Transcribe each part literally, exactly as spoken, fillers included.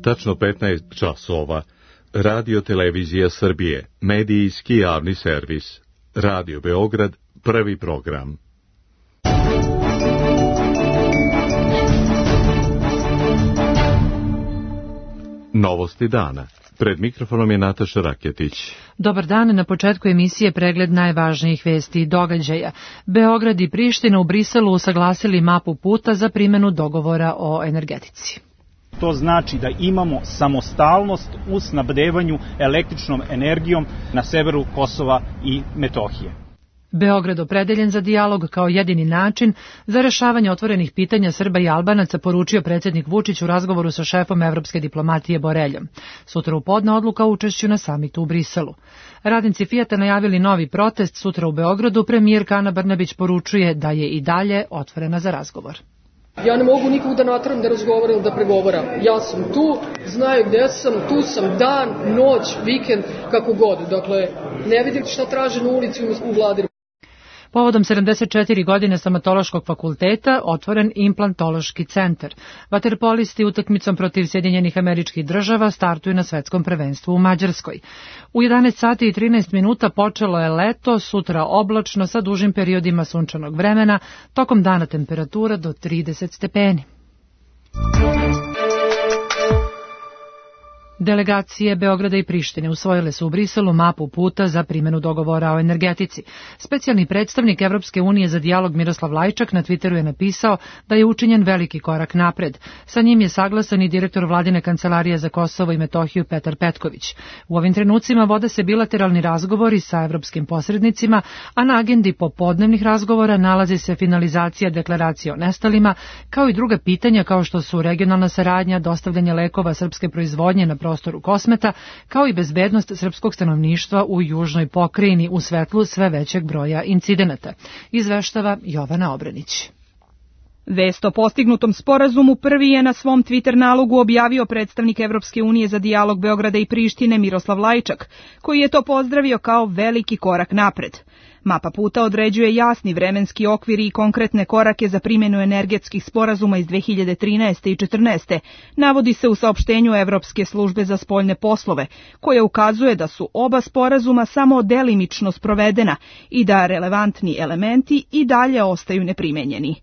Tačno petnaest časova. Radio Televizija Srbije, medijski javni servis. Radio Beograd, prvi program. Novosti dana. Pred mikrofonom je Nataša Raketić. Dobar dan, na početku emisije pregled najvažnijih vesti i događaja. Beograd i Priština u Briselu usaglasili mapu puta za primjenu dogovora o energetici. To znači da imamo samostalnost u snabdevanju električnom energijom na severu Kosova i Metohije. Beograd opredeljen za dijalog kao jedini način za rešavanje otvorenih pitanja Srba i Albanaca, poručio predsjednik Vučić u razgovoru sa šefom evropske diplomatije Boreljom. Sutra u podne odluka o učešću na samitu u Briselu. Radnici Fijata najavili novi protest sutra u Beogradu. Premijerka Ana Brnabić poručuje da je i dalje otvorena za razgovor. Ja ne mogu nikog da natram da razgovara ili da pregovaram. Ja sam tu, znaju gde sam, tu sam dan, noć, vikend, kako god. Dakle, ne vidim šta traže na ulici u vladi. Povodom sedamdeset četiri godine stomatološkog fakulteta otvoren implantološki centar. Vaterpolisti utakmicom protiv Sjedinjenih Američkih Država startuju na svetskom prvenstvu u Mađarskoj. U jedanaest sati i trinaest minuta počelo je leto, sutra oblačno sa dužim periodima sunčanog vremena, tokom dana temperatura do trideset stepeni. Delegacije Beograda i Prištine usvojile su u Briselu mapu puta za primjenu dogovora o energetici. Specijalni predstavnik Evropske unije za dijalog Miroslav Lajčak na Twitteru je napisao da je učinjen veliki korak napred. Sa njim je saglasan i direktor Vladine kancelarije za Kosovo i Metohiju Petar Petković. U ovim trenucima vode se bilateralni razgovori sa evropskim posrednicima, a na agendi popodnevnih razgovora nalazi se finalizacija deklaracije o nestalima, kao i druga pitanja kao što su regionalna saradnja, dostavljanje lekova srpske proizvodnje na prostoru Kosmeta, kao i bezbednost srpskog stanovništva u južnoj pokrajini u svetlu sve većeg broja incidenata, izveštava Jovana Obranić. Vest o postignutom sporazumu prvi je na svom Twitter nalogu objavio predstavnik Evropske unije za dijalog Beograda i Prištine Miroslav Lajčak, koji je to pozdravio kao veliki korak napred. Mapa puta određuje jasni vremenski okvir i konkretne korake za primjenu energetskih sporazuma iz dve hiljade trinaeste i četrnaeste. Navodi se u saopštenju Evropske službe za spoljne poslove, koje ukazuje da su oba sporazuma samo delimično sprovedena i da relevantni elementi i dalje ostaju neprimenjeni.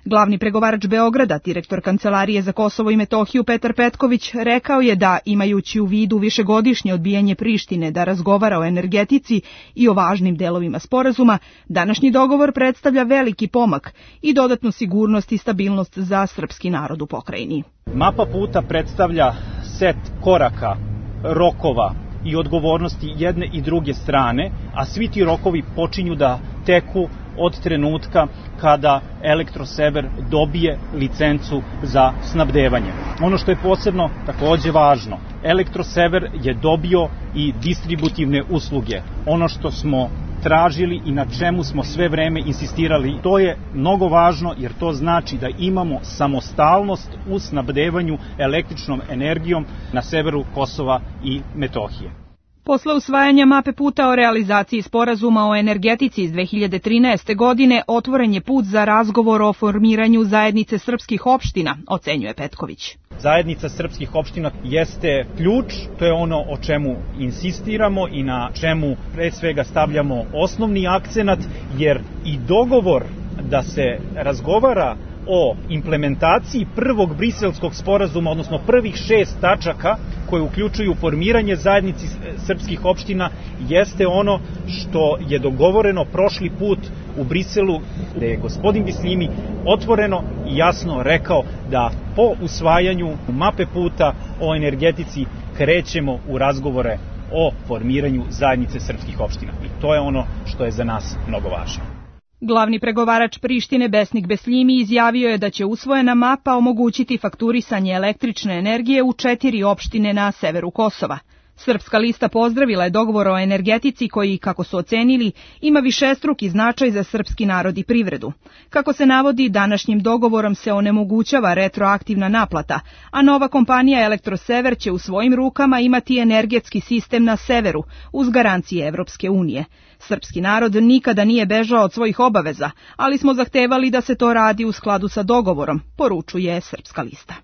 Glavni pregovarač Beograda, direktor Kancelarije za Kosovo i Metohiju Petar Petković, rekao je da, imajući u vidu višegodišnje odbijanje Prištine da razgovara o energetici i o važnim delovima sporazuma, današnji dogovor predstavlja veliki pomak i dodatnu sigurnost i stabilnost za srpski narod u pokrajini. Mapa puta predstavlja set koraka, rokova i odgovornosti jedne i druge strane, a svi ti rokovi počinju da teku od trenutka kada Elektrosever dobije licencu za snabdevanje. Ono što je posebno takođe važno, Elektrosever je dobio i distributivne usluge. Ono što smo tražili i na čemu smo sve vreme insistirali, to je mnogo važno jer to znači da imamo samostalnost u snabdevanju električnom energijom na severu Kosova i Metohije. Posle usvajanja mape puta o realizaciji sporazuma o energetici iz dve hiljade trinaeste. godine otvoren je put za razgovor o formiranju zajednice srpskih opština, ocenjuje Petković. Zajednica srpskih opština jeste ključ, to je ono o čemu insistiramo i na čemu pre svega stavljamo osnovni akcenat, jer i dogovor da se razgovara o implementaciji prvog briselskog sporazuma, odnosno prvih šest tačaka koje uključuju formiranje zajednici srpskih opština, jeste ono što je dogovoreno prošli put u Briselu, gde je gospodin Bislimi otvoreno i jasno rekao da po usvajanju mape puta o energetici krećemo u razgovore o formiranju zajednice srpskih opština. I to je ono što je za nas mnogo važno. Glavni pregovarač Prištine Besnik Besljimi izjavio je da će usvojena mapa omogućiti fakturisanje električne energije u četiri opštine na severu Kosova. Srpska lista pozdravila je dogovor o energetici koji, kako su ocenili, ima višestruki značaj za srpski narod i privredu. Kako se navodi, današnjim dogovorom se onemogućava retroaktivna naplata, a nova kompanija Elektrosever će u svojim rukama imati energetski sistem na severu, uz garancije Evropske unije. Srpski narod nikada nije bežao od svojih obaveza, ali smo zahtevali da se to radi u skladu sa dogovorom, poručuje Srpska lista.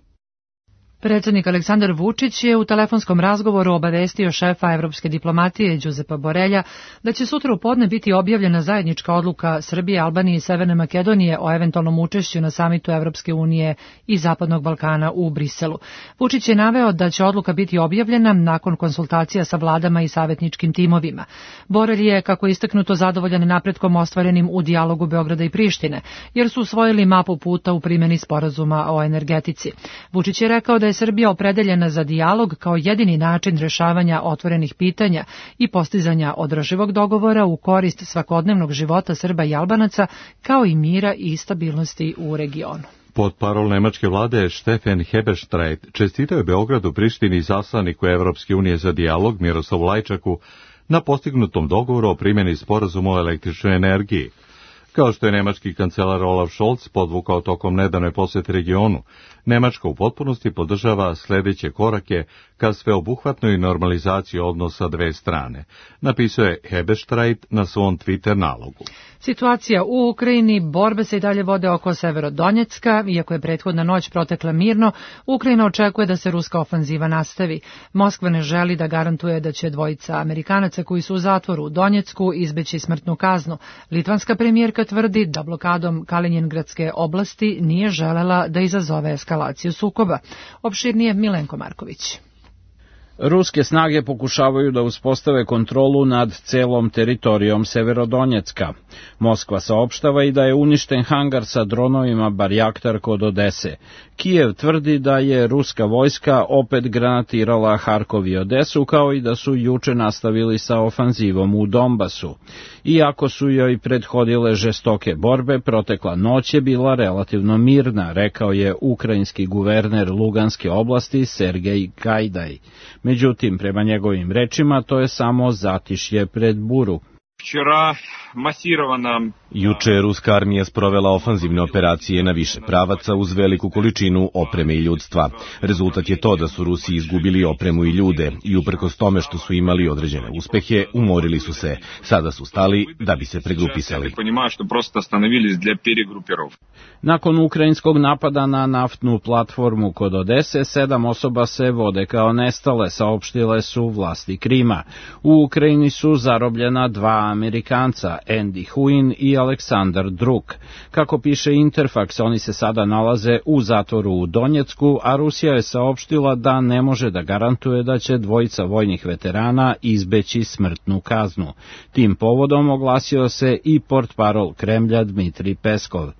Predsjednik Aleksandar Vučić je u telefonskom razgovoru obavestio šefa evropske diplomatije Đuzepa Borelja da će sutra u podne biti objavljena zajednička odluka Srbije, Albanije i Severne Makedonije o eventualnom učešću na samitu Evropske unije i Zapadnog Balkana u Briselu. Vučić je naveo da će odluka biti objavljena nakon konsultacija sa vladama i savjetničkim timovima. Borelj je, kako je istaknuto, zadovoljan napretkom ostvarenim u dijalogu Beograda i Prištine, jer su usvojili mapu puta u primjeni sporazuma o energetici. Vučić je rekao da je Srbija opredeljena za dijalog kao jedini način rešavanja otvorenih pitanja i postizanja održivog dogovora u korist svakodnevnog života Srba i Albanaca, kao i mira i stabilnosti u regionu. Pod parol nemačke vlade Steffen Heberstreit čestitao je Beogradu, Prištini i zaslaniku Evropske unije za dijalog Miroslavu Lajčaku na postignutom dogovoru o primjeni sporazuma o električnoj energiji. Kao što je nemački kancelar Olaf Scholz podvukao tokom nedavne posete regionu, Nemačka u potpunosti podržava sljedeće korake ka sveobuhvatnoj normalizaciji odnosa dve strane, napisao je Heberstreit na svom Twitter nalogu. Situacija u Ukrajini, borbe se i dalje vode oko Severodonjecka, iako je prethodna noć protekla mirno, Ukrajina očekuje da se ruska ofanziva nastavi. Moskva ne želi da garantuje da će dvojica Amerikanaca koji su u zatvoru u Donjecku izbeći smrtnu kaznu. Litvanska premijerka tvrdi da blokadom Kalinjingradske oblasti nije želela da izazove eskalaciju sukoba. Opširnije Milenko Marković. Ruske snage pokušavaju da uspostave kontrolu nad celom teritorijom Severodonjecka. Moskva saopštava i da je uništen hangar sa dronovima Barjaktar kod Odese. Kijev tvrdi da je ruska vojska opet granatirala Harkov i Odesu, kao i da su juče nastavili sa ofanzivom u Donbasu. Iako su joj prethodile žestoke borbe, protekla noć je bila relativno mirna, rekao je ukrajinski guverner Luganske oblasti Sergej Gajdaj. Međutim, prema njegovim rečima, to je samo zatišje pred buru. Juče je ruska armija sprovela ofanzivne operacije na više pravaca uz veliku količinu opreme i ljudstva. Rezultat je to da su Rusi izgubili opremu i ljude i uprkos tome što su imali određene uspehe, umorili su se. Sada su stali da bi se pregrupisali. Nakon ukrajinskog napada na naftnu platformu kod Odese, sedam osoba se vode kao nestale, saopštile su vlasti Krima. U Ukrajini su zarobljena dva Amerikanca, Andy Huin i Aleksandar Druk. Kako piše Interfax, oni se sada nalaze u zatvoru u Donjecku, a Rusija je saopštila da ne može da garantuje da će dvojica vojnih veterana izbeći smrtnu kaznu. Tim povodom oglasio se i portparol Kremlja Dmitrij Peskov.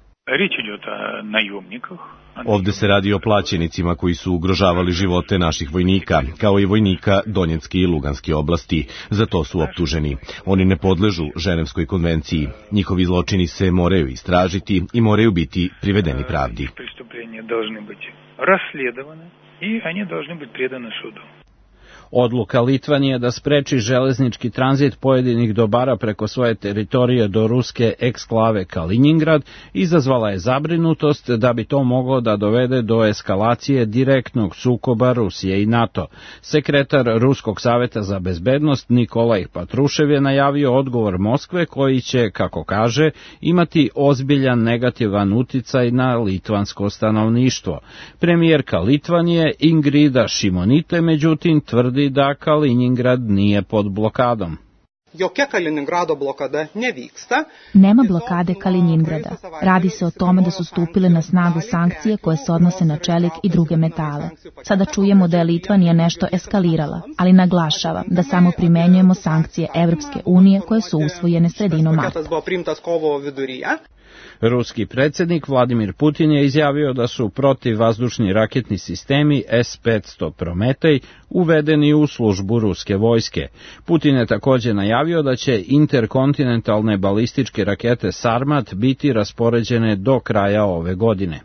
Ovde se radi o plaćenicima koji su ugrožavali živote naših vojnika, kao i vojnika Donjecke i Luganske oblasti. Za to su optuženi. Oni ne podležu Ženevskoj konvenciji. Njihovi zločini se moraju istražiti i moraju biti privedeni pravdi. Odluka Litvanije da spreči železnički tranzit pojedinih dobara preko svoje teritorije do ruske eksklave Kalinjingrad izazvala je zabrinutost da bi to moglo da dovede do eskalacije direktnog sukoba Rusije i NATO. Sekretar Ruskog saveta za bezbednost Nikolaj Patrušev je najavio odgovor Moskve koji će, kako kaže, imati ozbiljan negativan uticaj na litvansko stanovništvo. Premijerka Litvanije Ingrida Šimonite, međutim, tvrdi da Kalinjingrad nije pod blokadom. Nema blokade Kalinjingrada. Radi se o tome da su stupile na snagu sankcije koje se odnose na čelik i druge metale. Sada čujemo da je Litvanija nešto eskalirala, ali naglašavam da samo primenjujemo sankcije Evropske unije koje su usvojene sredinom marta. Ruski predsjednik Vladimir Putin je izjavio da su protivvazdušni raketni sistemi S petsto Prometej uvedeni u službu ruske vojske. Putin je također najavio da će interkontinentalne balističke rakete Sarmat biti raspoređene do kraja ove godine.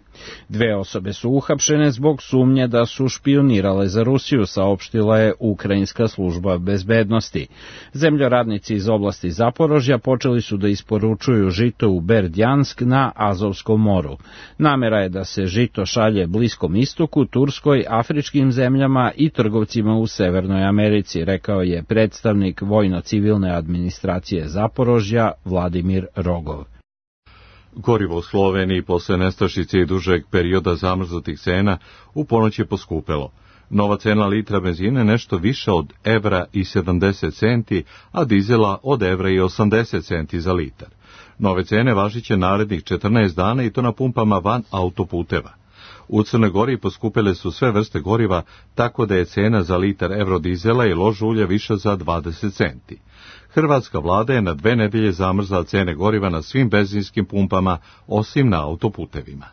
Dve osobe su uhapšene zbog sumnje da su špionirale za Rusiju, saopštila je Ukrajinska služba bezbednosti. Zemljoradnici iz oblasti Zaporožja počeli su da isporučuju žito u Berdjansk na Azovskom moru. Namera je da se žito šalje Bliskom istoku, Turskoj, afričkim zemljama i trgovcima u Severnoj Americi, rekao je predstavnik vojno-civilne administracije Zaporožja Vladimir Rogov. Gorivo u Sloveniji posle nestašice i dužeg perioda zamrznutih cena u ponoć je poskupelo. Nova cena litra benzina je nešto više od evra i sedamdeset centi, a dizela od evra i osamdeset centi za litar. Nove cene važiće narednih četrnaest dana i to na pumpama van autoputeva. U Crnoj Gori poskupele su sve vrste goriva, tako da je cena za litar evrodizela i lož ulja više za dvadeset centi. Hrvatska vlada je na dve nedelje zamrzla cene goriva na svim benzinskim pumpama, osim na autoputevima.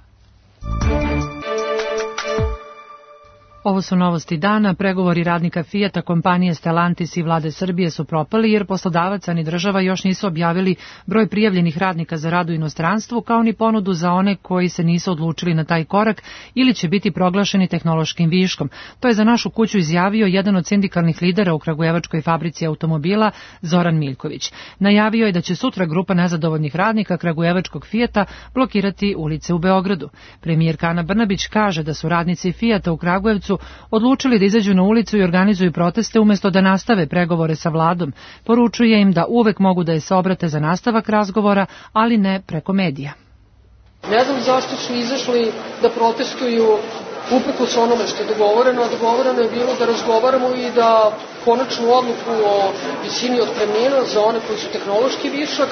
Ovo su novosti dana. Pregovori radnika Fijata, kompanije Stellantis i vlade Srbije su propali jer poslodavac ni država još nisu objavili broj prijavljenih radnika za rad u inostranstvu, kao ni ponudu za one koji se nisu odlučili na taj korak ili će biti proglašeni tehnološkim viškom. To je za našu kuću izjavio jedan od sindikalnih lidera u kragujevačkoj fabrici automobila, Zoran Miljković. Najavio je da će sutra grupa nezadovoljnih radnika kragujevačkog Fijata blokirati ulice u Beogradu. Premijerka Ana Brnabić kaže da su radnici Fijata u Kragujevcu odlučili da izađu na ulicu i organizuju proteste umjesto da nastave pregovore sa vladom. Poručuje im da uvek mogu da je se obrate za nastavak razgovora, ali ne preko medija. Ne znam zašto su izašli da protestuju uprkos onome što je dogovoreno, a dogovoreno je bilo da razgovaramo i da konačnu odluku o visini otpremnina za one koji su tehnološki višak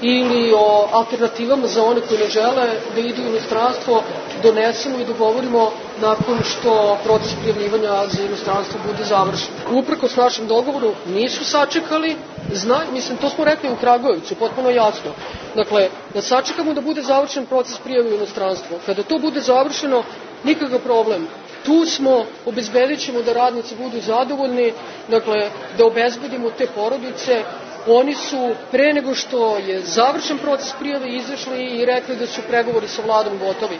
ili o alternativama za one koji ne žele da idu u inostranstvo donesemo i dogovorimo nakon što proces prijavljivanja za inostranstvo bude završen. Uprkos našem dogovoru nisu sačekali, zna, mislim to smo rekli u Kragujevcu, potpuno jasno. Dakle, da sačekamo da bude završen proces prijave u inostranstvo. Kada to bude završeno, nikakav problem. Tu smo, obezbedit ćemo da radnici budu zadovoljni, dakle, da obezbedimo te porodice. Oni su, pre nego što je završen proces prijave, izašli i rekli da su pregovori sa vladom gotovi.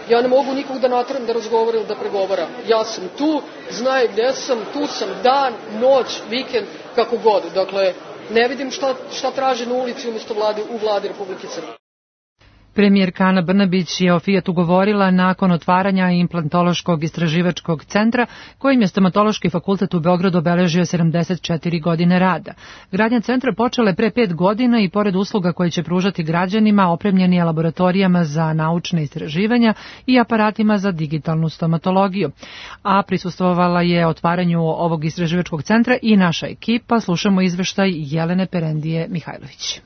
Ja ne mogu nikog da natram da razgovara ili da pregovara. Ja sam tu, znaju gde sam, tu sam dan, noć, vikend, kako god. Dakle, ne vidim šta, šta traže na ulici umjesto vlade, u vladi Republike Srbije. Premijerka Ana Brnabić je o Fijatu govorila nakon otvaranja implantološkog istraživačkog centra, kojim je Stomatološki fakultet u Beogradu obeležio sedamdeset četiri godine rada. Gradnja centra počela je pre pet godina i pored usluga koje će pružati građanima, opremljen je laboratorijama za naučne istraživanja i aparatima za digitalnu stomatologiju. A prisustvovala je otvaranju ovog istraživačkog centra i naša ekipa. Slušamo izveštaj Jelene Perendije Mihajlović.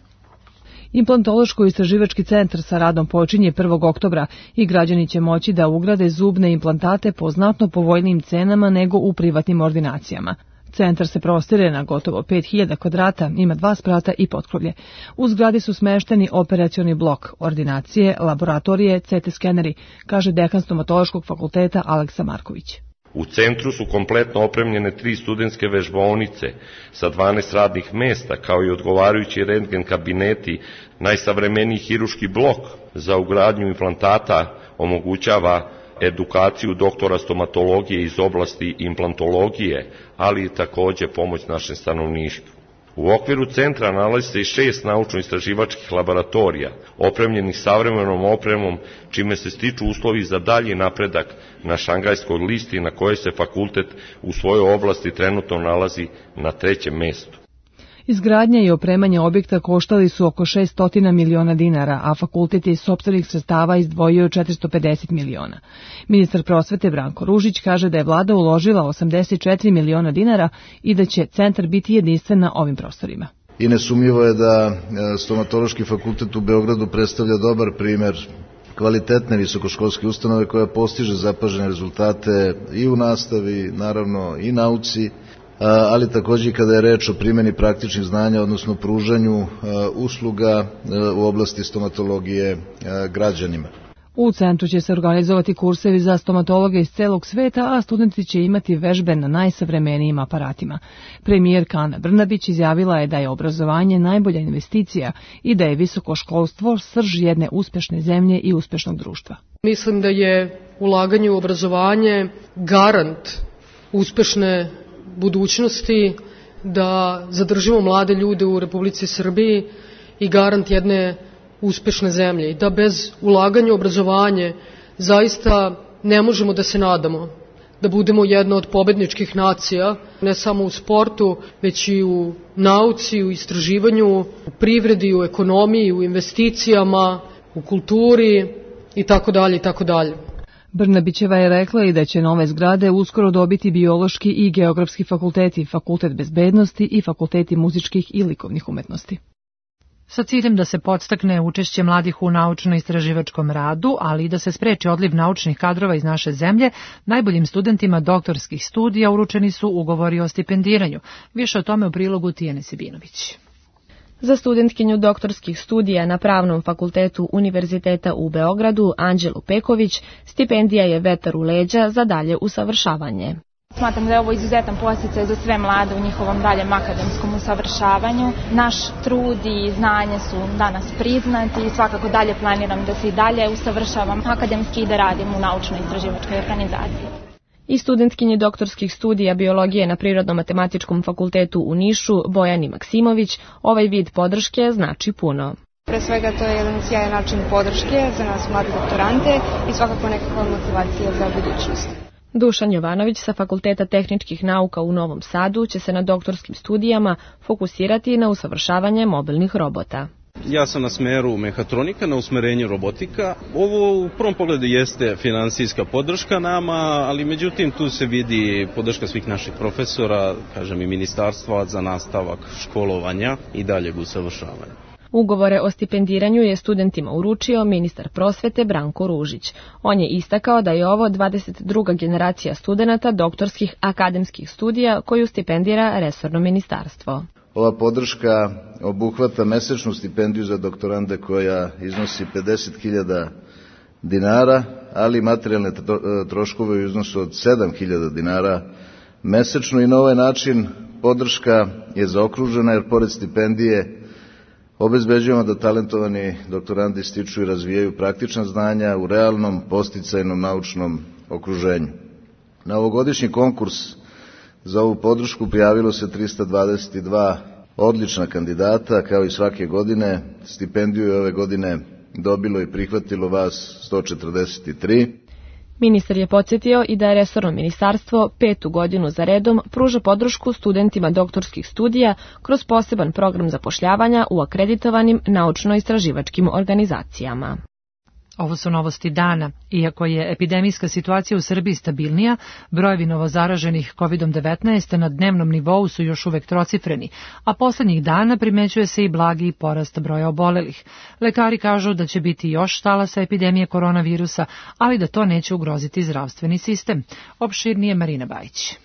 Implantološko-istraživački centar sa radom počinje prvog oktobra i građani će moći da ugrade zubne implantate po znatno povoljnijim cenama nego u privatnim ordinacijama. Centar se prostire na gotovo pet hiljada kvadrata, ima dva sprata i potkrovlje. U zgradi su smešteni operacioni blok, ordinacije, laboratorije, C T skeneri, kaže dekan Stomatološkog fakulteta Aleksa Marković. U centru su kompletno opremljene tri studentske vežbaonice sa dvanaest radnih mesta, kao i odgovarajući rentgen kabineti. Najsavremeniji hiruški blok za ugradnju implantata omogućava edukaciju doktora stomatologije iz oblasti implantologije, ali i takođe pomoć našem stanovništvu. U okviru centra nalazi se i šest naučno-istraživačkih laboratorija, opremljenih savremenom opremom, čime se stiču uslovi za dalji napredak na šangajskoj listi na kojoj se fakultet u svojoj oblasti trenutno nalazi na trećem mestu. Izgradnja i opremanje objekta koštali su oko šesto miliona dinara, a fakultet je iz sopstvenih sredstava izdvojio četiristo pedeset miliona. Ministar prosvete Branko Ružić kaže da je vlada uložila osamdeset četiri miliona dinara i da će centar biti jedinstven na ovim prostorima. I nesumnjivo je da Stomatološki fakultet u Beogradu predstavlja dobar primer kvalitetne visokoškolske ustanove koja postiže zapažene rezultate i u nastavi, naravno i nauci, ali takođe i kada je reč o primjeni praktičnih znanja, odnosno pružanju usluga u oblasti stomatologije građanima. U centru će se organizovati kursevi za stomatologe iz celog sveta, a studenti će imati vežbe na najsavremenijim aparatima. Premijerka Ana Brnabić izjavila je da je obrazovanje najbolja investicija i da je visoko školstvo srž jedne uspešne zemlje i uspešnog društva. Mislim da je ulaganje u obrazovanje garant uspešne budućnosti, da zadržimo mlade ljude u Republici Srbiji i garant jedne uspešne zemlje i da bez ulaganja u obrazovanje zaista ne možemo da se nadamo da budemo jedna od pobedničkih nacija, ne samo u sportu, već i u nauci, u istraživanju, u privredi, u ekonomiji, u investicijama, u kulturi i tako dalje i tako dalje. Brnabićeva je rekla i da će nove zgrade uskoro dobiti biološki i geografski fakulteti, fakultet bezbednosti i fakulteti muzičkih i likovnih umetnosti. Sa ciljem da se podstakne učešće mladih u naučno-istraživačkom radu, ali i da se spreči odliv naučnih kadrova iz naše zemlje, najboljim studentima doktorskih studija uručeni su ugovori o stipendiranju. Više o tome u prilogu Tijane Sibinović. Za studentkinju doktorskih studija na Pravnom fakultetu Univerziteta u Beogradu, Anđelu Peković, stipendija je vetar u leđa za dalje usavršavanje. Smatram da je ovo izuzetan podsticaj za sve mlade u njihovom daljem akademskom usavršavanju. Naš trud i znanje su danas priznati i svakako dalje planiram da se i dalje usavršavam akademski i da radim u naučno-istraživačkoj organizaciji. I studentkinji doktorskih studija biologije na Prirodno-matematičkom fakultetu u Nišu, Bojani Maksimović, ovaj vid podrške znači puno. Pre svega to je jedan sjajan način podrške za nas mlade doktorante i svakako nekakva motivacija za budućnost. Dušan Jovanović sa Fakulteta tehničkih nauka u Novom Sadu će se na doktorskim studijama fokusirati na usavršavanje mobilnih robota. Ja sam na smeru mehatronika, na usmerenju robotika. Ovo u prvom pogledu jeste finansijska podrška nama, ali međutim tu se vidi podrška svih naših profesora, kažem i ministarstva za nastavak školovanja i daljeg usavršavanja. Ugovore o stipendiranju je studentima uručio ministar prosvete Branko Ružić. On je istakao da je ovo dvadeset druga generacija studenata doktorskih akademskih studija koju stipendira resorno ministarstvo. Ova podrška obuhvata mesečnu stipendiju za doktorande koja iznosi pedeset hiljada dinara, ali materijalne troškove u iznosu od sedam hiljada dinara mesečno i na ovaj način podrška je zaokružena jer pored stipendije obezbeđujemo da talentovani doktorandi stiču i razvijaju praktična znanja u realnom, podsticajnom naučnom okruženju. Na ovogodišnji konkurs za ovu podršku prijavilo se trista dvadeset dva odlična kandidata, kao i svake godine. Stipendiju je ove godine dobilo i prihvatilo vas sto četrdeset tri. Ministar je podsjetio i da je resorno ministarstvo petu godinu za redom pruža podršku studentima doktorskih studija kroz poseban program zapošljavanja u akreditovanim naučno-istraživačkim organizacijama. Ovo su novosti dana. Iako je epidemijska situacija u Srbiji stabilnija, brojevi novozaraženih kovid devetnaest na dnevnom nivou su još uvek trocifreni, a poslednjih dana primećuje se i blagi porast broja obolelih. Lekari kažu da će biti još talasa epidemije koronavirusa, ali da to neće ugroziti zdravstveni sistem. Opširnije Marina Bajić.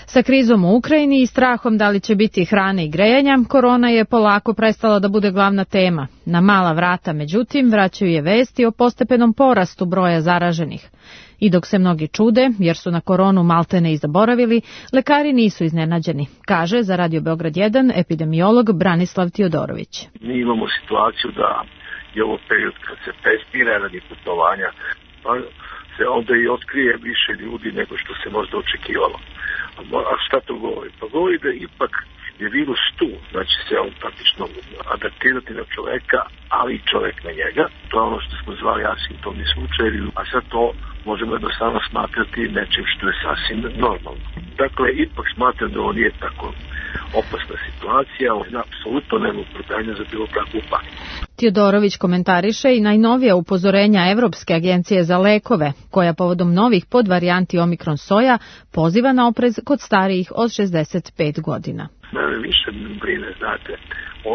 Sa krizom u Ukrajini i strahom da li će biti hrane i grejanja, korona je polako prestala da bude glavna tema. Na mala vrata, međutim, vraćaju je vesti o postepenom porastu broja zaraženih. I dok se mnogi čude, jer su na koronu maltene i zaboravili, lekari nisu iznenađeni, kaže za Radio Beograd jedan epidemiolog Branislav Tiodorović. Mi imamo situaciju da je ovo period kad se testira radi putovanja, pa se onda i otkrije više ljudi nego što se možda očekivalo. A šta to govori? Pa govori da ipak je virus tu, znači se on praktično adaptirati na čoveka, ali i čovek na njega. To je ono što smo zvali asimptomni slučajevi, a sad to možemo jednostavno smatrati nečim što je sasvim normalno. Dakle, ipak smatram da on nije tako opasna situacija, on je apsolutno nema opravdanja za bilo kakvu paniku. Tiodorović komentariše i najnovija upozorenja Evropske agencije za lekove, koja povodom novih podvarijanti Omikron soja poziva na oprez kod starijih od šezdeset pet godina. Mene više brine, znate,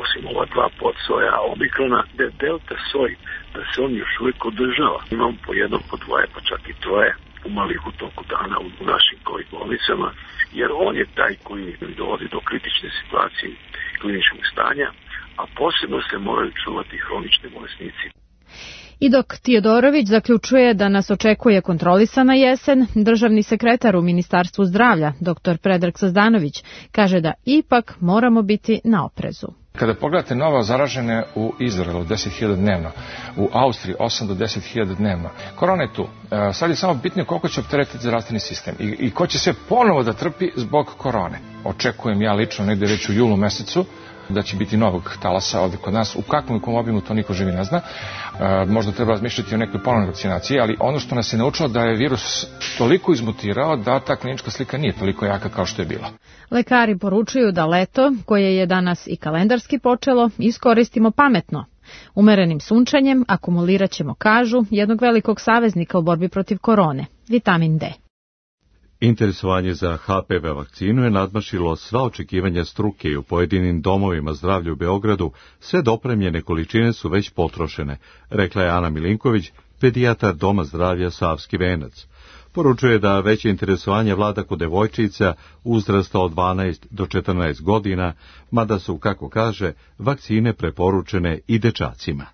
osim ova dva podsoja Omikrona, de delta soj, da se on još uvijek održava. Imam po jednom, po dvoje, pa čak i troje umalih u toku dana u našim covid bolnicama, jer on je taj koji dovodi do kritične situacije kliničkog stanja, a posebno se moraju čuvati hronični bolesnici. I dok Tiodorović zaključuje da nas očekuje kontrolisana jesen, državni sekretar u Ministarstvu zdravlja, dr Predrag Sazdanović, kaže da ipak moramo biti na oprezu. Kada pogledate novo zaražene u Izraelu deset hiljada dnevno, u Austriji osam do deset hiljada dnevno, korona je tu. Sad je samo bitno koliko će opteretiti zdravstveni sistem i, i ko će sve ponovo da trpi zbog korone. Očekujem ja lično negde već u julu mesecu da će biti novog talasa ovdje kod nas. U kakvom i kom obimu to niko živi ne zna. E, možda treba razmišljati o nekoj ponovnoj vakcinaciji, ali ono što nas je naučilo da je virus toliko izmutirao da ta klinička slika nije toliko jaka kao što je bila. Lekari poručuju da leto, koje je danas i kalendarski počelo, iskoristimo pametno. Umerenim sunčanjem akumulirat ćemo, kažu, jednog velikog saveznika u borbi protiv korone, vitamin D. Interesovanje za H P V vakcinu je nadmašilo sva očekivanja struke i u pojedinim domovima zdravlja u Beogradu sve dopremljene količine su već potrošene, rekla je Ana Milinković, pedijatar Doma zdravlja Savski Venac. Poručuje da veće interesovanje vlada kod devojčica uzrasta od dvanaest do četrnaest godina, mada su, kako kaže, vakcine preporučene i dečacima.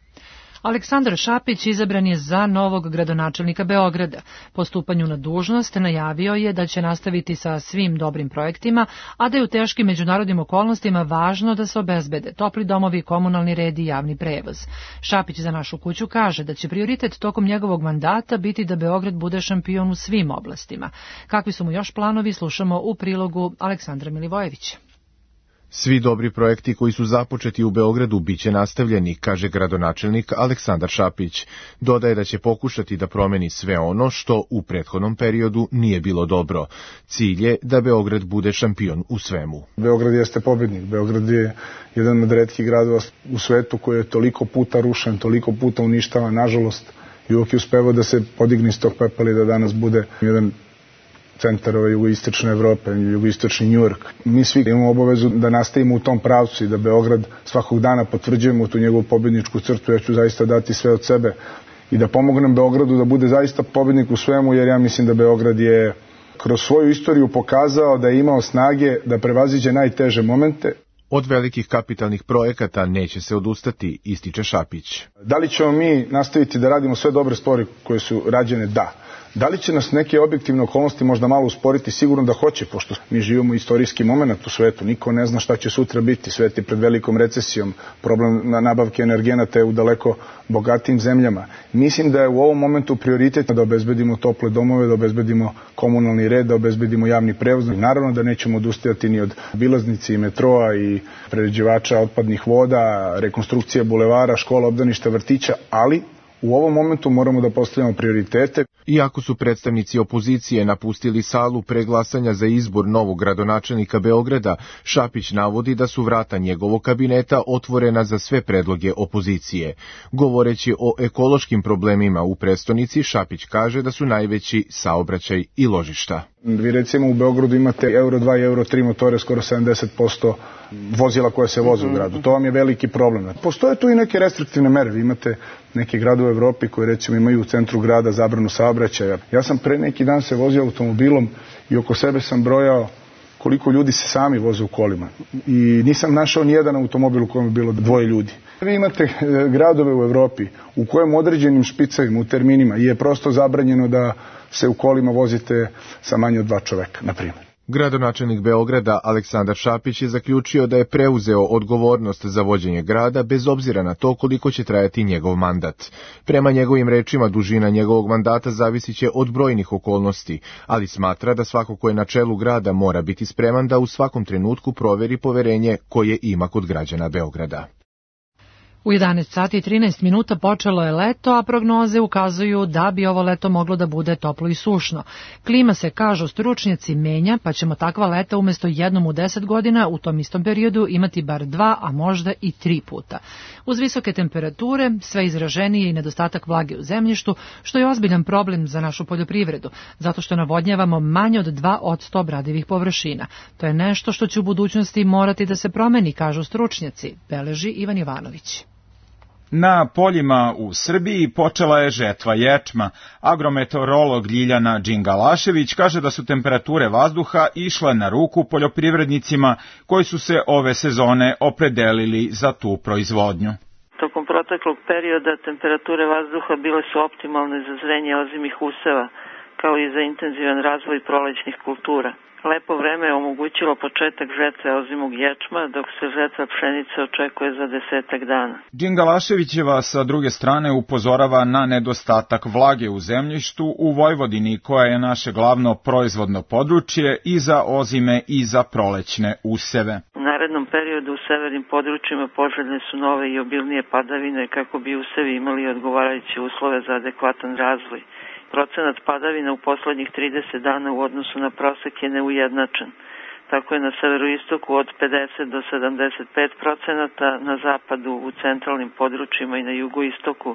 Aleksandar Šapić izabran je za novog gradonačelnika Beograda. Po stupanju na dužnost najavio je da će nastaviti sa svim dobrim projektima, a da je u teškim međunarodnim okolnostima važno da se obezbede topli domovi, komunalni red i javni prevoz. Šapić za Našu kuću kaže da će prioritet tokom njegovog mandata biti da Beograd bude šampion u svim oblastima. Kakvi su mu još planovi, slušamo u prilogu Aleksandra Milivojevića. Svi dobri projekti koji su započeti u Beogradu biće nastavljeni, kaže gradonačelnik Aleksandar Šapić. Dodaje da će pokušati da promeni sve ono što u prethodnom periodu nije bilo dobro. Cilj je da Beograd bude šampion u svemu. Beograd jeste pobednik. Beograd je jedan od retkih gradova u svetu koji je toliko puta rušen, toliko puta uništavan, nažalost, i uvijek je uspevao da se podigne iz tog pepela i da danas bude jedan centar jugoistočne Evrope, jugoistočni Njujork. Mi svi imamo obavezu da nastavimo u tom pravcu i da Beograd svakog dana potvrđujemo tu njegovu pobedničku crtu. Ja ću zaista dati sve od sebe i da pomognem Beogradu da bude zaista pobednik u svemu, jer ja mislim da Beograd je kroz svoju istoriju pokazao da je imao snage da prevaziđe najteže momente. Od velikih kapitalnih projekata neće se odustati, ističe Šapić. Da li ćemo mi nastaviti da radimo sve dobre stvari koje su rađene? Da. Da li će nas neke objektivne okolnosti možda malo usporiti? Sigurno da hoće, pošto mi živimo istorijski moment u svetu. Niko ne zna šta će sutra biti. Svet je pred velikom recesijom. Problem na nabavke energenata je u daleko bogatijim zemljama. Mislim da je u ovom momentu prioritet da obezbedimo tople domove, da obezbedimo komunalni red, da obezbedimo javni prevoz. Naravno da nećemo odustajati ni od obilaznice i metroa i prerađivača otpadnih voda, rekonstrukcija bulevara, škola, obdaništa, vrtića, ali u ovom momentu moramo da postavljamo prioritete. Iako su predstavnici opozicije napustili salu pre glasanja za izbor novog gradonačelnika Beograda, Šapić navodi da su vrata njegovog kabineta otvorena za sve predloge opozicije. Govoreći o ekološkim problemima u prestonici, Šapić kaže da su najveći saobraćaj i ložišta. Vi recimo u Beogradu imate euro dva i euro tri motore, skoro sedamdeset posto vozila koje se voze u gradu. To vam je veliki problem. Postoje tu i neke restriktivne mere. Vi imate neke gradove u Evropi koji recimo imaju u centru grada zabranu saobraćaja. Ja sam pre neki dan se vozio automobilom i oko sebe sam brojao koliko ljudi se sami voze u kolima. I nisam našao ni jedan automobil u kojem je bilo dvoje ljudi. Vi imate gradove u Evropi u kojem određenim špicevima, u terminima je prosto zabranjeno da se u kolima vozite sa manje od dva čoveka, na primjer. Gradonačelnik Beograda Aleksandar Šapić je zaključio da je preuzeo odgovornost za vođenje grada bez obzira na to koliko će trajati njegov mandat. Prema njegovim rečima, dužina njegovog mandata zavisit će od brojnih okolnosti, ali smatra da svako ko je na čelu grada mora biti spreman da u svakom trenutku proveri poverenje koje ima kod građana Beograda. U jedanaest sati i trinaest minuta počelo je leto, a prognoze ukazuju da bi ovo leto moglo da bude toplo i sušno. Klima se, kažu stručnjaci, menja, pa ćemo takva leta umjesto jednom u deset godina u tom istom periodu imati bar dva, a možda i tri puta. Uz visoke temperature, sve izraženije i nedostatak vlage u zemljištu, što je ozbiljan problem za našu poljoprivredu, zato što navodnjavamo manje od dva posto obradivih površina. To je nešto što će u budućnosti morati da se promeni, kažu stručnjaci, beleži Ivan Jovanović. Na poljima u Srbiji počela je žetva ječma. Agrometeorolog Ljiljana Đingalašević kaže da su temperature vazduha išle na ruku poljoprivrednicima koji su se ove sezone opredelili za tu proizvodnju. Tokom proteklog perioda temperature vazduha bile su optimalne za zrenje ozimih useva, kao i za intenzivan razvoj prolećnih kultura. Lepo vreme je omogućilo početak žetve ozimog ječma, dok se žetva pšenice očekuje za desetak dana. Đingalaševićeva sa druge strane upozorava na nedostatak vlage u zemljištu u Vojvodini, koja je naše glavno proizvodno područje i za ozime i za prolećne useve. U narednom periodu u severnim područjima poželjne su nove i obilnije padavine kako bi usevi imali odgovarajuće uslove za adekvatan razvoj. Procenat padavina u poslednjih trideset dana u odnosu na prosek je neujednačen. tako je na severoistoku od pedeset do sedamdeset pet procenata, na zapadu u centralnim područjima i na jugoistoku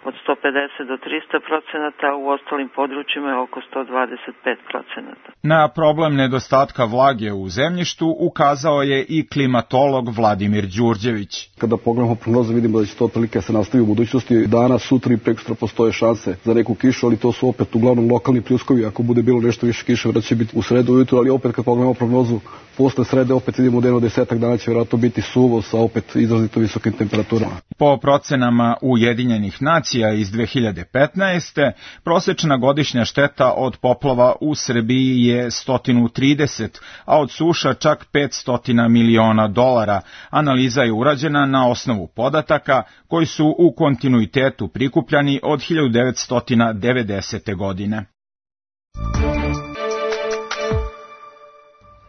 od sto pedeset do trista procenata, a u ostalim područjima je oko sto dvadeset pet procenata. Na problem nedostatka vlage u zemljištu ukazao je i klimatolog Vladimir Đurđević. Kada pogledamo prognozu vidimo da će to otprilike se nastavi u budućnosti. Danas, sutra i prekosutra postoje šanse za neku kišu, ali to su opet uglavnom lokalni pljuskovi. Ako bude bilo nešto više kiše, vjerojatno će biti u sredu ujutru, ali opet kad pogledamo prognozu posle srede opet vidimo da jedno desetak dana će vjerojatno biti suvo sa opet izrazito visokim temperaturama. Po procenama Ujedinjenih nacija iz dve hiljade petnaeste. prosečna godišnja šteta od poplava u Srbiji je sto trideset, a od suša čak petsto miliona dolara. Analiza je urađena na osnovu podataka koji su u kontinuitetu prikupljani od hiljadu devetsto devedesete. godine.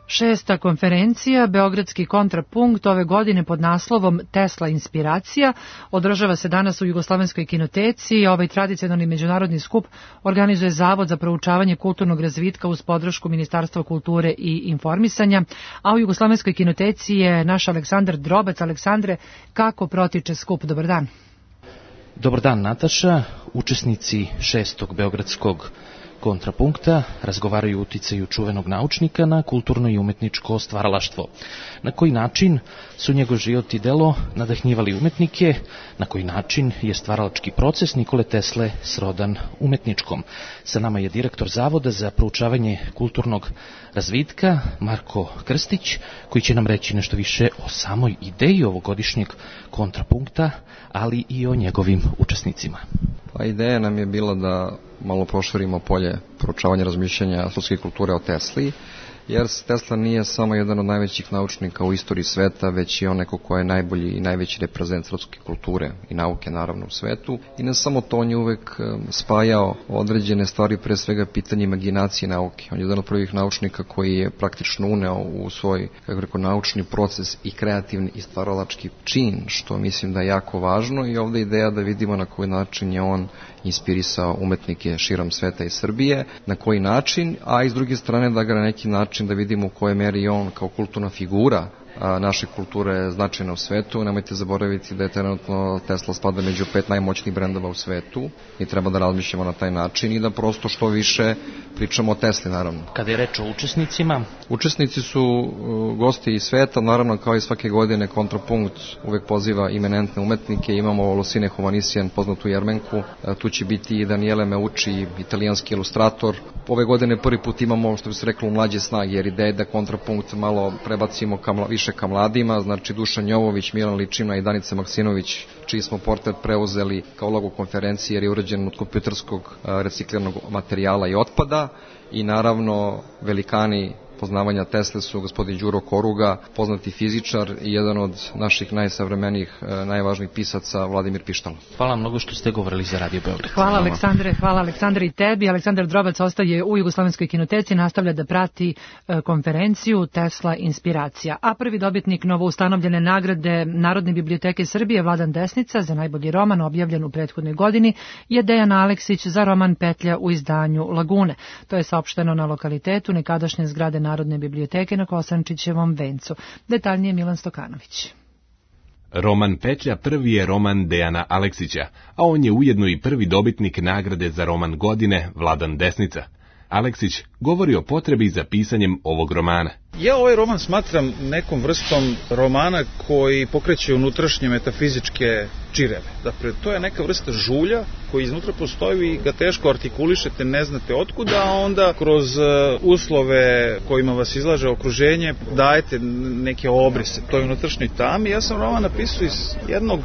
Šesta konferencija, Beogradski kontrapunkt, ove godine pod naslovom Tesla inspiracija, održava se danas u Jugoslovenskoj kinoteci. Ovaj tradicionalni međunarodni skup organizuje Zavod za proučavanje kulturnog razvitka uz podršku Ministarstva kulture i informisanja, a u Jugoslovenskoj kinoteci je naš Aleksandar Drobac. Aleksandre, kako protiče skup? Dobar dan. Dobar dan, Nataša. Učesnici šestog Beogradskog kontrapunkta razgovaraju o uticaju čuvenog naučnika na kulturno i umetničko stvaralaštvo. Na koji način su njegov život i delo nadahnjivali umetnike, na koji način je stvaralački proces Nikole Tesle srodan umetničkom. Sa nama je direktor Zavoda za proučavanje kulturnog razvitka Marko Krstić, koji će nam reći nešto više o samoj ideji ovogodišnjeg kontrapunkta, ali i o njegovim učesnicima. Pa ideja nam je bila da malo proširimo polje proučavanja razmišljanja srpske kulture o Tesli, jer Tesla nije samo jedan od najvećih naučnika u istoriji sveta, već i on neko ko je najbolji i najveći reprezent srpske kulture i nauke naravno u svetu. I ne samo to, on je uvek spajao određene stvari, pre svega pitanje imaginacije nauke. On je jedan od prvih naučnika koji je praktično uneo u svoj, kako rekao, naučni proces i kreativni i stvaralački čin, što mislim da je jako važno, i ovdje ideja da vidimo na koji način je on inspirisao umetnike širom sveta i Srbije, na koji način, a i s druge strane da ga na neki način da vidimo u kojoj meri on kao kulturna figura naše kulture značajna u svetu. Nemojte zaboraviti da je trenutno Tesla spada među pet najmoćnijih brendova u svetu i treba da razmišljamo na taj način i da prosto što više pričamo o Tesli, naravno. Kada je reč o učesnicima? Učesnici su gosti iz sveta, naravno kao i svake godine kontrapunkt uvek poziva imenentne umetnike. Imamo Losine Hovanisijan, poznatu Jermenku, tu će biti i Daniele Meucci, italijanski ilustrator. Ove godine prvi put imamo, što bi se reklo, mlađe snage, jer ideja je da kontrapunkt malo prebacimo ka više ka mladima, znači Dušan Jovović, Milan Ličina i Danica Maksinović, čiji smo portret preuzeli kao logo konferencije, jer je urađen od kompjuterskog recikliranog materijala i otpada, i naravno velikani poznavanja Tesle su gospodin Đuro Koruga, poznati fizičar i jedan od naših najsavremenijih, najvažnijih pisaca, Vladimir Pištalo. Hvala mnogo što ste govorili za Radio Beograd. Hvala Aleksandre, hvala Aleksandre i tebi. Aleksandar Drobac ostaje u Jugoslovenskoj kinoteci, nastavlja da prati konferenciju Tesla inspiracija. A prvi dobitnik novoustanovljene nagrade Narodne biblioteke Srbije, Vladan Desnica, za najbolji roman objavljen u prethodnoj godini, je Dejan Aleksić za roman Petlja u izdanju Lagune. To je saopšteno na lokalitetu nekadašnje zgrade Narodne biblioteke na Kosančićevom vencu. Detaljnije Milan Stokanović. Roman Petlja prvi je roman Dejana Aleksića, a on je ujedno i prvi dobitnik nagrade za roman godine Vladan Desnica. Aleksić govori o potrebi za pisanjem ovog romana. Ja ovaj roman smatram nekom vrstom romana koji pokreće unutrašnje metafizičke čireve. Dakle, to je neka vrsta žulja koji iznutra postoji i ga teško artikulišete, ne znate otkuda, a onda kroz uslove kojima vas izlaže okruženje dajete neke obrise toj unutrašnjoj tami. Ja sam roman napisao iz jednog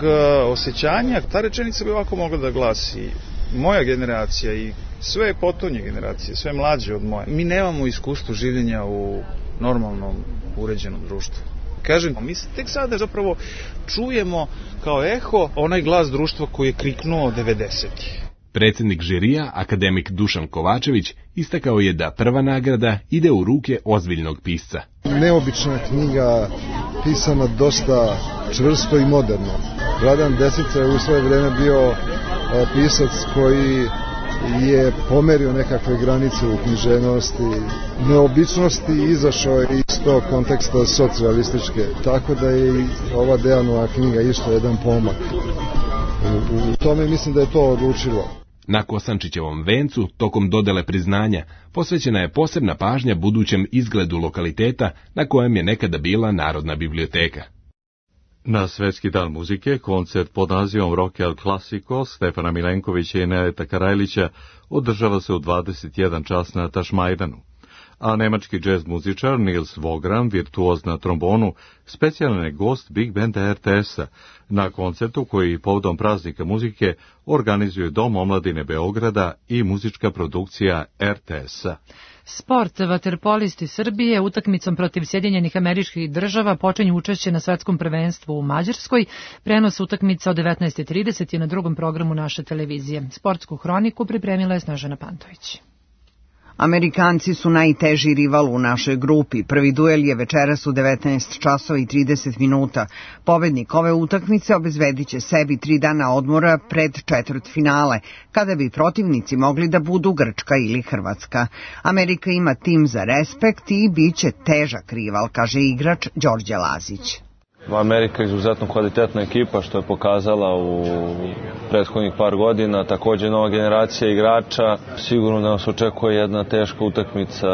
osjećanja. Ta rečenica bi ovako mogla da glasi: moja generacija i sve potonje generacije, sve mlađe od moje, mi nemamo iskustvo življenja u normalnom, uređenom društvu. Kažem, mi tek sada zapravo čujemo kao eho onaj glas društva koji je kriknuo devedesetih. Predsjednik žirija, akademik Dušan Kovačević, istakao je da prva nagrada ide u ruke ozbiljnog pisca. Neobična knjiga, pisana dosta čvrsto i moderno. Vladan Desnica je u svoje vreme bio pisac koji je pomerio nekakve granice u književnosti, neobičnosti, izašao je iz tog konteksta socijalističke, tako da je i ova Dejanova knjiga isto jedan pomak. U, u tome mislim da je to odlučilo. Na Kosančićevom vencu, tokom dodele priznanja, posvećena je posebna pažnja budućem izgledu lokaliteta na kojem je nekada bila Narodna biblioteka. Na Svetski dan muzike, koncert pod nazivom Rock El Clasico Stefana Milenkovića i Neneta Karajlića održava se u dvadeset jedan čas na Tašmajdanu. A nemački džez muzičar Nils Vogran, virtuoz na trombonu, specijalan je gost Big Banda er te es-a na koncertu koji povodom praznika muzike organizuje Dom omladine Beograda i muzička produkcija er te es-a. Sport. Vaterpolisti Srbije utakmicom protiv Sjedinjenih Američkih Država počinju učešće na svetskom prvenstvu u Mađarskoj. Prenos utakmica od devetnaest trideset je na drugom programu naše televizije. Sportsku hroniku pripremila je Snežana Pantović. Amerikanci su najteži rival u našoj grupi. Prvi duel je večeras u devetnaest časova i trideset minuta. Pobednik ove utakmice obezbedit će sebi tri dana odmora pred četvrtfinale, kada bi protivnici mogli da budu Grčka ili Hrvatska. Amerika ima tim za respekt i bit će težak rival, kaže igrač Đorđe Lazić. Amerika je izuzetno kvalitetna ekipa, što je pokazala u prethodnih par godina. Također nova generacija igrača. Sigurno da nas očekuje jedna teška utakmica,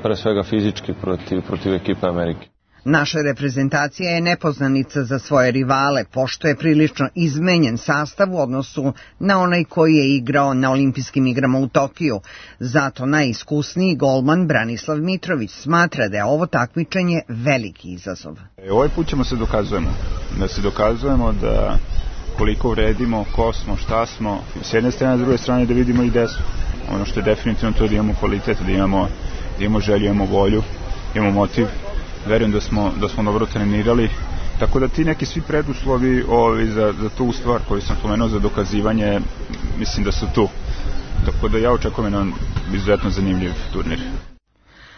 pre svega fizički, protiv, protiv ekipe Amerike. Naša reprezentacija je nepoznanica za svoje rivale, pošto je prilično izmenjen sastav u odnosu na onaj koji je igrao na olimpijskim igrama u Tokiju. Zato najiskusniji golman Branislav Mitrović smatra da je ovo takmičenje veliki izazov. E, ovaj put ćemo se dokazujemo, da se dokazujemo da koliko vredimo, ko smo, šta smo, s jedne strane, s druge strane da vidimo i gde smo. Ono što je definitivno to da imamo kvalitet, da imamo, da imamo želju, imamo volju, imamo motiv. Verujem da smo, da smo dobro trenirali, tako da ti neki svi preduslovi ovi, za, za tu stvar koju sam spomenuo za dokazivanje, mislim da su tu. Tako da ja očekujem jedan izuzetno zanimljiv turnir.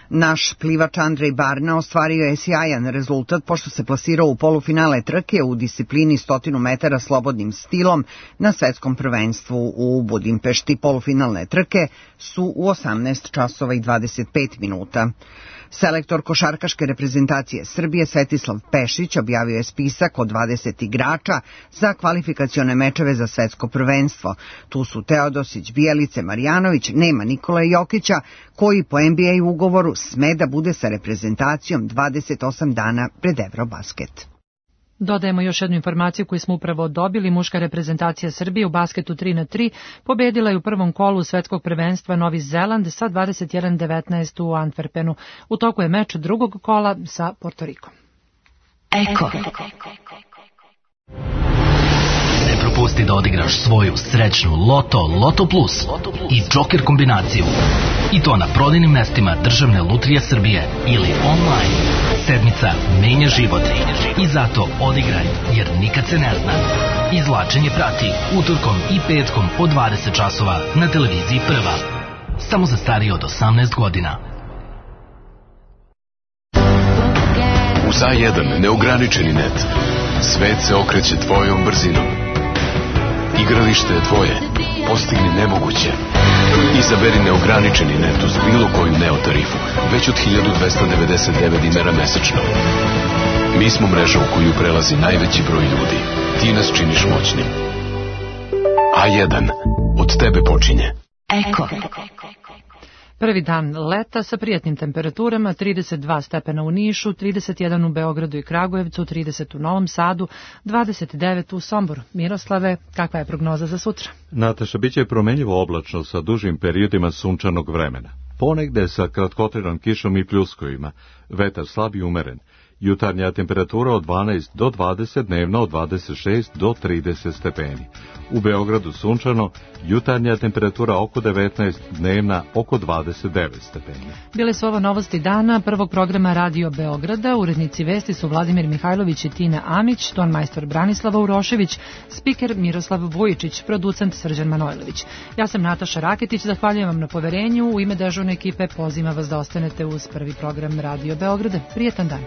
Naš plivač Andrej Barna ostvario je sjajan rezultat pošto se plasirao u polufinale trke u disciplini stotinu metara slobodnim stilom na svetskom prvenstvu u Budimpešti. Polufinalne trke su u osamnaest časova i dvadeset pet minuta. Selektor košarkaške reprezentacije Srbije Svetislav Pešić objavio je spisak od dvadeset igrača za kvalifikacione mečeve za svetsko prvenstvo. Tu su Teodosić, Bijelice, Marjanović, nema Nikola Jokića, koji po en be a ugovoru sme da bude sa reprezentacijom dvadeset osam dana pred Eurobasket. Dodajemo još jednu informaciju koju smo upravo dobili. Muška reprezentacija Srbije u basketu tri na tri pobedila je u prvom kolu svetskog prvenstva Novi Zeland sa dvadeset jedan devetnaest u Antwerpenu. U toku je meč drugog kola sa Portorikom. Eko. Ne propusti da odigraš svoju srećnu Loto Loto Plus i Joker kombinaciju. I to na prodajnim mestima Državne lutrije Srbije ili online. Sedmica menja život i zato odigraj, jer nikad se ne zna. Izvlačenje prati utorkom i petkom od dvadeset časova na televiziji Prva. Samo za starije od osamnaest godina. Uz A jedan neograničeni net. Svet se okreće tvojom brzinom. Igralište je tvoje. Postigni nemoguće. Izaberi neograničeni net uz bilo koju Neo tarifu, već od hiljadu dvesta devedeset devet dinara mesečno. Mi smo mreža u koju prelazi najveći broj ljudi. Ti nas činiš moćnim. A jedan. Od tebe počinje. Eko. Prvi dan leta sa prijatnim temperaturama, trideset dva stepena u Nišu, trideset jedan u Beogradu i Kragujevcu, trideset u Novom Sadu, dvadeset devet u Somboru. Miroslave, kakva je prognoza za sutra? Nataša, bit će promenljivo oblačno sa dužim periodima sunčanog vremena. Ponegde sa kratkotrajnom kišom i pljuskovima, vetar slab i umeren. Jutarnja temperatura od dvanaest do dvadeset, dnevno od dvadeset šest do trideset stepeni. U Beogradu sunčano, jutarnja temperatura oko devetnaest, dnevna oko dvadeset devet stepeni. Bile su ovo novosti dana prvog programa Radio Beograda. Urednici vesti su Vladimir Mihajlović i Tina Amić, ton majstor Branislava Urošević, spiker Miroslav Vujičić, producent Srđan Manojlović. Ja sam Nataša Raketić, zahvaljujem vam na poverenju. U ime dežurne ekipe pozivam vas da ostanete uz prvi program Radio Beograda. Prijetan dan.